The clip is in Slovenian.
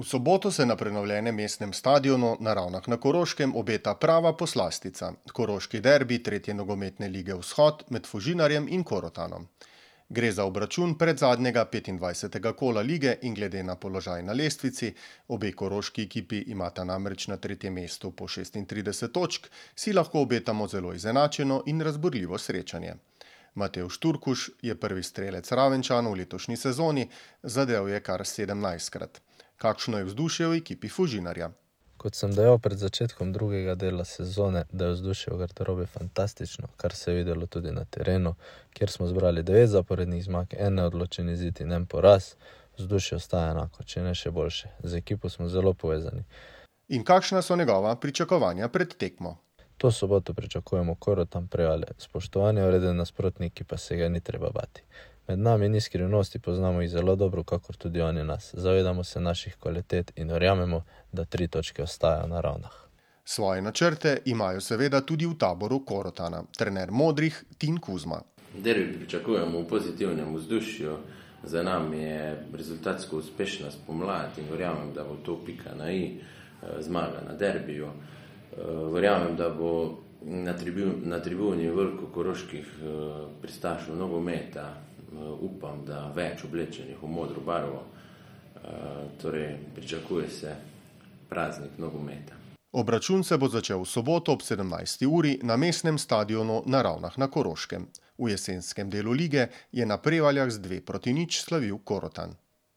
V soboto se na prenovljenem mestnem stadionu na Ravnah na Koroškem obeta prava poslastica, koroški derbi tretje nogometne lige Vzhod med Fužinarjem in Korotanom. Gre za obračun predzadnjega 25. kola lige in glede na položaj na lestvici, obe koroški ekipi imata namreč na tretjem mestu po 36 točk, si lahko obetamo zelo izenačeno in razburljivo srečanje. Matevž Turkuš je prvi strelec Ravenčanov v letošnji sezoni, zadel je kar 17-krat. Kakšno je vzdušje v ekipi Fužinarja? Kot sem dejal pred začetkom drugega dela sezone, da je vzdušje v garderobi fantastično, kar se je videlo tudi na terenu, kjer smo zbrali 9 zaporednih zmag, en neodločen izid in en poraz, vzdušje ostaja enako, če ne še boljše. Z ekipo smo zelo povezani. In kakšna so njegova pričakovanja pred tekmo? To soboto pričakujemo Korotan Prevalje, spoštovanje vreden nasprotniki pa se ga ni treba bati. Med nami ni skrivnosti, poznamo jih zelo dobro, kakor tudi oni nas. Zavedamo se naših kvalitet in verjamemo, da 3 točke ostajajo na Ravnah. Svoje načrte imajo seveda tudi v taboru Korotana, trener modrih Tin Kuzma. Derbi pričakujemo v pozitivnem vzdušju. Za nami je rezultatsko uspešna spomlad in verjamem, da bo to pika na i, zmaga na derbiju. Verjamem, da bo na tribuni veliko koroških pristašev nogometa. Upam, da več oblečenih v modro barvo. Torej, pričakuje se praznik nogometa. Obračun se bo začel v soboto ob 17. uri na mestnem stadionu na Ravnah na Koroškem. V jesenskem delu lige je na Prevaljah z 2-0 slavil Korotan.